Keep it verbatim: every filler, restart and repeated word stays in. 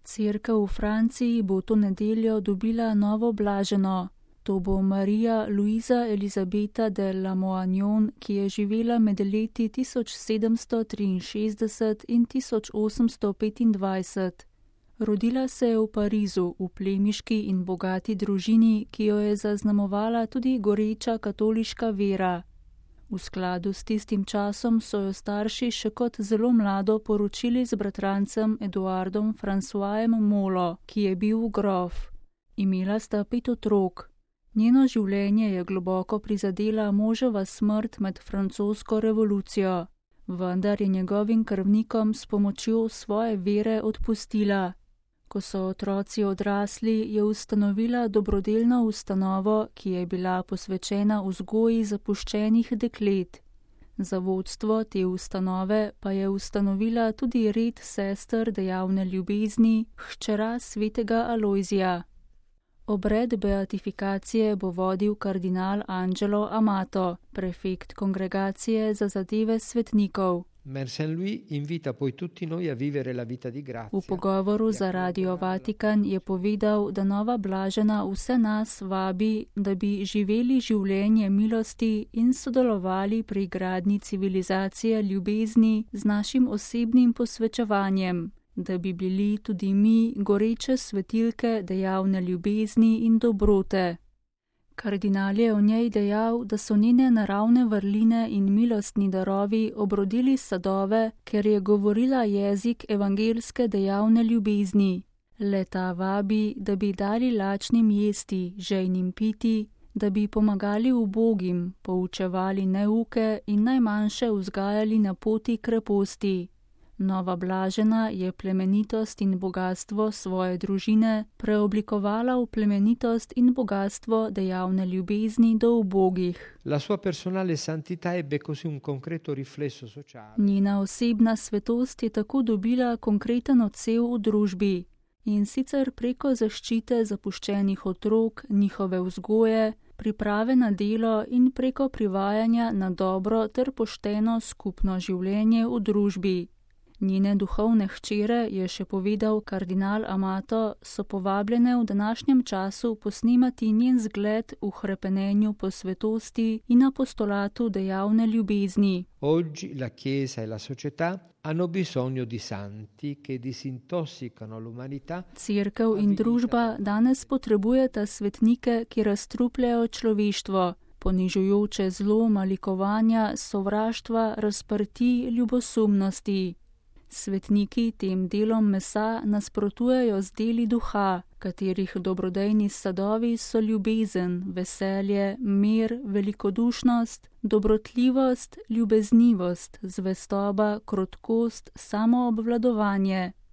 Cerkev v Franciji bo to nedeljo dobila novo blaženo. To bo Marija Luisa Elizabeta de Lamoignon, ki je živela med leti tisoč sedemsto triinšestdeset in tisoč osemsto petindvajset. Rodila se je v Parizu, v plemiški in bogati družini, ki jo je zaznamovala tudi goreča katoliška vera. V skladu s tistim časom so jo starši še kot zelo mlado poročili z bratrancem Eduardom Françoisem Molo, ki je bil grof. Imela sta pet otrok. Njeno življenje je globoko prizadela moževa smrt med francosko revolucijo, vendar je njegovim krvnikom s pomočjo svoje vere odpustila. Ko so otroci odrasli, je ustanovila dobrodelno ustanovo, ki je bila posvečena vzgoji zapuščenih deklet. Za vodstvo te ustanove pa je ustanovila tudi red sester dejavne ljubezni, hčera svetega Alojzija. Obred beatifikacije bo vodil kardinal Angelo Amato, prefekt kongregacije za zadeve svetnikov. V pogovoru za Radio Vatikan je povedal, da nova blažena vse nas vabi, da bi živeli življenje milosti in sodelovali pri gradnji civilizacije ljubezni z našim osebnim posvečevanjem, da bi bili tudi mi goreče svetilke dejavne ljubezni in dobrote. Kardinal je o njej dejal, da so njene naravne vrline in milostni darovi obrodili sadove, ker je govorila jezik evangelske dejavne ljubezni. Le-ta vabi, da bi dali lačnim jesti, žejnim piti, da bi pomagali ubogim, poučevali neuke in najmanjše vzgajali na poti kreposti. Nova blažena je plemenitost in bogatstvo svoje družine preoblikovala v plemenitost in bogatstvo dejavne ljubezni do ubogih. Njena osebna svetost je tako dobila konkreten odsev v družbi, in sicer preko zaščite zapuščenih otrok, njihove vzgoje, priprave na delo in preko privajanja na dobro ter pošteno skupno življenje v družbi. Njene duhovne hčere, je še povedal kardinal Amato, so povabljene v današnjem času posnemati njen zgled v hrepenenju po svetosti in apostolatu dejavne ljubezni. Oggi la Chiesa e la società hanno bisogno di santi che disintossicano l'umanità. Cerkev in družba danes potrebujeta svetnike, ki razstrupljajo človeštvo, ponižujoče zlo, malikovanja, sovraštva, razprti, ljubosumnosti. Svetniki tem delom mesa nasprotujejo z deli duha, katerih dobrodejni sadovi so ljubezen, veselje, mir, velikodušnost, dobrotljivost, ljubeznivost, zvestoba, krotkost, samoobvladovanje.